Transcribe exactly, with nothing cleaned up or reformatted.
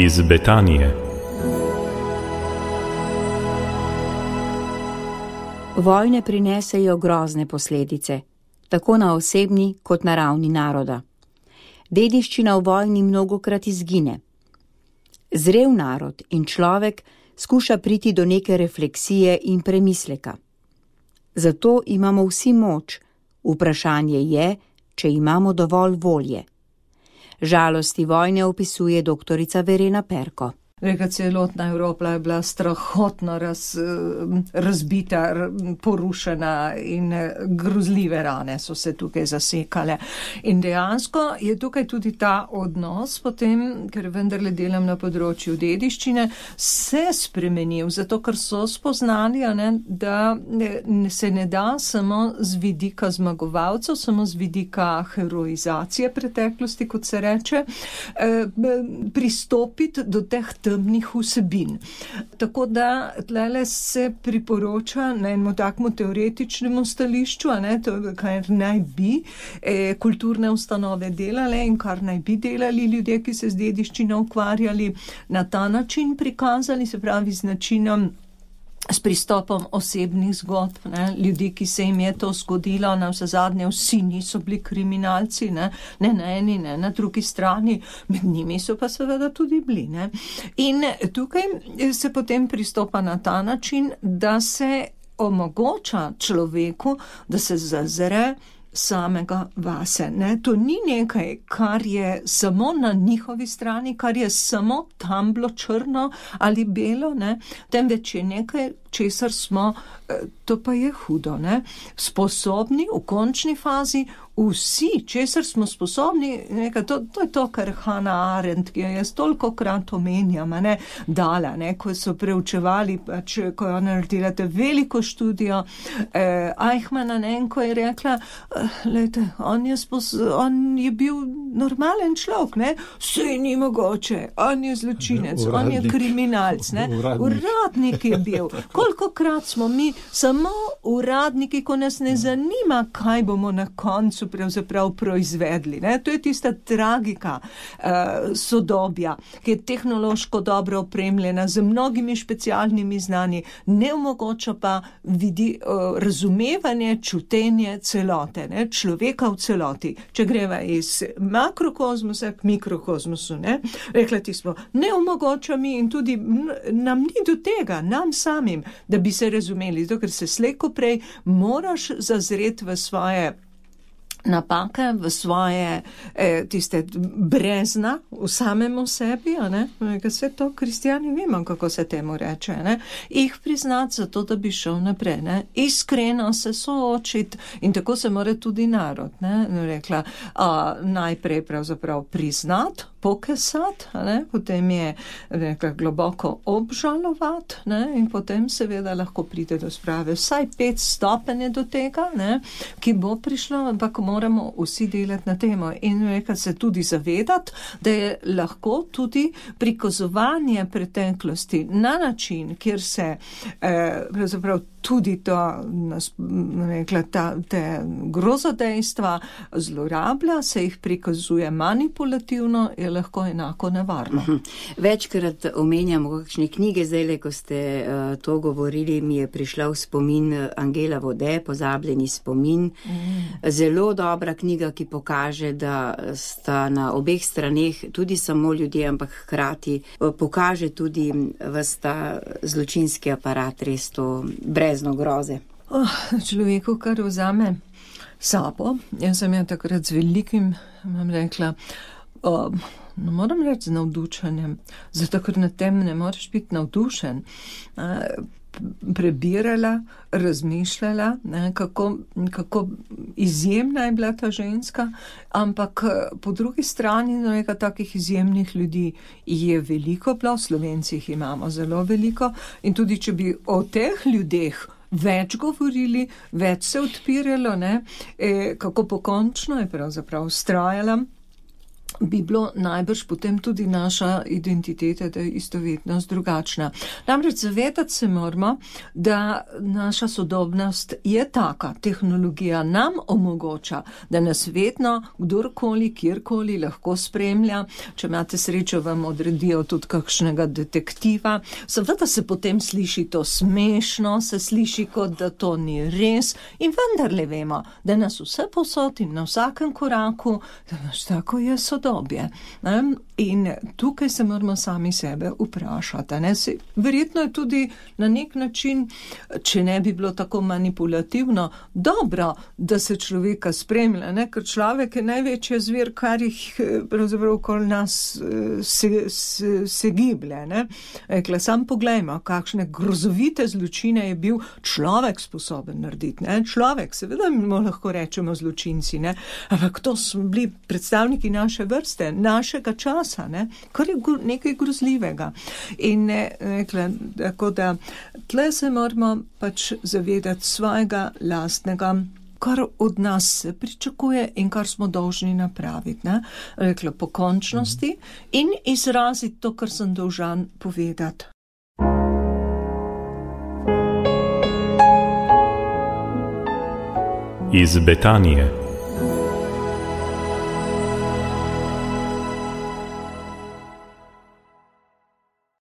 Iz Betanije. Vojne prinesejo grozne posledice, tako na osebni kot na ravni naroda. Dediščina v vojni mnogokrat izgine. Zrel narod in človek skuša priti do neke refleksije in premisleka. Zato imamo vsi moč, vprašanje je, če imamo dovolj volje. Žalosti vojne opisuje doktorica Verena Perko. Reka, celotna Evropa je bila strahotno raz, razbita, porušena in grozljive rane so se tukaj zasekale. In dejansko je tukaj tudi ta odnos potem, ker vendarle delam na področju dediščine, se spremenil, zato ker so spoznali, ne, da se ne da samo z vidika zmagovalcev, samo z vidika heroizacije preteklosti, kot se reče, pristopiti do teh temnih vsebin. Tako da tlele se priporoča na enem takmu teoretičnemu stališču, a ne, to, kar naj bi eh, kulturne ustanove delale in kar naj bi delali ljudje, ki se z dediščino ukvarjali, na ta način prikazali, se pravi z načinom, s pristopom osebnih zgodb, ne, ljudi, ki se jim je to zgodilo, na vse zadnje vsi niso bili kriminalci, ne, ne na eni, ne na drugi strani, med njimi so pa seveda tudi bili. Ne. In tukaj se potem pristopa na ta način, da se omogoča človeku, da se zazre samega vase. Ne? To ni nekaj, kar je samo na njihovi strani, kar je samo tam bilo črno ali belo, ne? Temveč je nekaj, česar smo, to pa je hudo, ne? Sposobni v končni fazi vsi, česar smo sposobni, nekaj, to, to je to, kar Hannah Arendt, ki jo jaz toliko krat omenjam, ne, dala, ne, ko so preučevali, pač, ko je ona naredila te veliko študijo eh, Eichmanna, ne, ko je rekla, eh, lejte, on je, spos, on je bil normalen človek, ne, vse ni mogoče, on je zločinec, uradnik, on je kriminalc, ne, uradnik. uradnik je bil. Kolikokrat smo mi samo uradniki, ko nas ne zanima, kaj bomo na koncu pravzaprav proizvedli. Ne? To je tista tragika uh, sodobja, ki je tehnološko dobro opremljena z mnogimi specialnimi znanji, ne omogoča pa vidi, uh, razumevanje, čutenje celote, ne? Človeka v celoti. Če greva iz makrokozmosa k mikrokozmosu, ne? Rekla ti smo, ne omogoča mi in tudi nam ni do tega, nam samim, da bi se razumeli, zato ker se slejko prej moraš zazreti v svoje napake, v svoje eh, tiste brezna v samemu sebi, a ne? Vse to kristjani vemo, kako se temu reče, ne? Ih priznati zato, da bi šel naprej, ne? Iskreno se soočiti in tako se mora tudi narod, ne? Rekla, a, najprej pravzaprav priznati, pokesati, ne? Potem je rekla, globoko obžalovati, ne? In potem seveda lahko pride do sprave. Vsaj pet stopenj do tega, ne? Ki bo prišlo, ampak moramo vsi delati na temo in rekla se tudi zavedati, da je lahko tudi prikazovanje preteklosti na način, kjer se eh, pravzaprav tudi to, rekla, ta, te grozodejstva zlorablja, se jih prikazuje manipulativno, je lahko enako nevarno. Uh-huh. Večkrat omenjamo kakšne knjige, zdaj, ko ste uh, to govorili, mi je prišla v spomin Angela Vode, Pozabljeni spomin. Mm. Zelo dobra knjiga, ki pokaže, da sta na obeh straneh tudi samo ljudje, ampak hkrati pokaže tudi vsta zločinski aparat, res to brezno groze. Oh, človeku, kar vzame sabo, jaz sem ja takrat z velikim, vam rekla, oh, ne moram reči z navdušenjem, zato ker na tem ne moreš biti navdušen. Prebirala, razmišljala, ne, kako, kako izjemna je bila ta ženska, ampak po drugi strani nekaj takih izjemnih ljudi je veliko bilo, Slovencih imamo zelo veliko in tudi če bi o teh ljudeh več govorili, več se odpiralo, ne, e, kako pokončno je pravzaprav vztrajala bi bilo najbrž potem tudi naša identiteta, da je istovetnost drugačna. Namreč zavedati se moramo, da naša sodobnost je taka, tehnologija nam omogoča, da nas vedno kdorkoli, kjerkoli lahko spremlja. Če imate srečo, vam odredijo tudi kakšnega detektiva. Seveda se potem sliši to smešno, se sliši kot da to ni res in vendarle vemo, da nas vse posod in na vsakem koraku, da nas tako je sodobnost. Ne? In tukaj se moramo sami sebe vprašati. Ne? Se, verjetno je tudi na nek način, če ne bi bilo tako manipulativno, dobro, da se človeka spremlja, ne? Ker človek je največji zver, kar jih pravzaprav okoli nas se, se, se giblje. Ne? Ekle, sam poglejmo, kakšne grozovite zločine je bil človek sposoben narediti. Ne? Človek, seveda mu lahko rečemo zločinci, ne? Ampak to so bili predstavniki naše vrste, našega časa, ne? Kar je nekaj grozljivega. In ne, nekle, tako da tle se moramo pač zavedati svojega lastnega, kar od nas se pričakuje in kar smo dolžni napraviti. Ne? Rekla, po končnosti in izraziti to, kar sem dolžan povedati. Iz Betanije.